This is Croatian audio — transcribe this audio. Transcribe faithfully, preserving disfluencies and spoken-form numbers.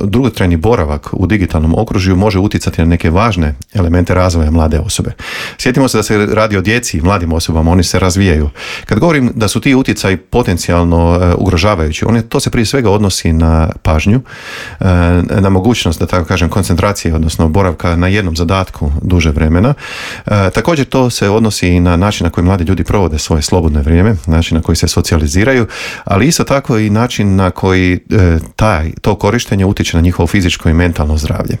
dugotrajni boravak u digitalnom okružju može utjecati na neke važne elemente razvoja mlade osobe. Sjetimo se da se radi o djeci i mladim osobama, oni se razvijaju. Kad govorim da su ti utjecaji potencijalno ugrožavajući, on je, to se prije svega odnosi na pažnju, na mogućnost, da tako kažem, koncentracije, odnosno boravka na jednom zadatku duže vremena. Također to se odnosi i na način na koji mladi ljudi provode svoje slobodno vrijeme, način na koji se socijaliziraju, ali isto tako i način na koji taj, to korištenje utječe na njihovo fizičko i mentalno zdravlje.